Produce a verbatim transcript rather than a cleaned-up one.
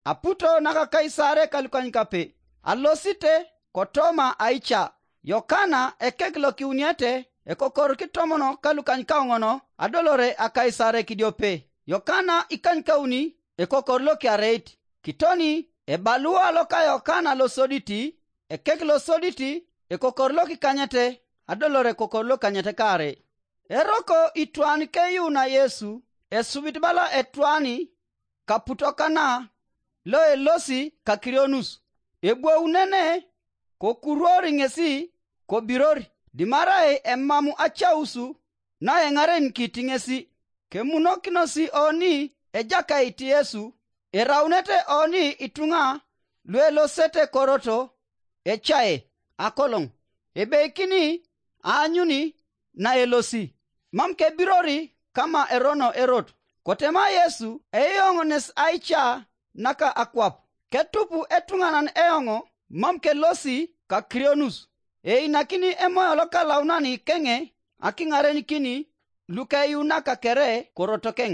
aputo naka Kaisare ka lukanykape, alosite kotoma aica. Yokana ekek lokiuniete, ekokor kitomono ka lukanykaoŋon, adolore a Kaisare kidiope. Yokana ikanykauni, ekokor lokiareit. Kitoni ebalua loka Yokana losoditi, ekek losoditi, ekokor lokikanyete, adolore ekokor lokikanyete kaare. Eroko itwan keyuuna Yesu, esubit bala etwani kaputokana loelosi kakirionus, ebwounene kokuruori ŋesi kobiror, dimarai emamu acausu naeŋarenikit ŋesi. Kemunokinosi oni Ejakait Yesu, eraunete oni ituŋa luelosete koroto ecae akoloŋ, ebeikini aanyuni naelosi, mam kebirori kama erono erot. Kotema Yesu eyoŋones aica naka akwap, ketupu etuŋanan eoŋ, mam kelosi kakirionus. Einakini Emoyo Lokalaunani keŋe akiŋarenikini lukeyuunaka kere korotokeŋ.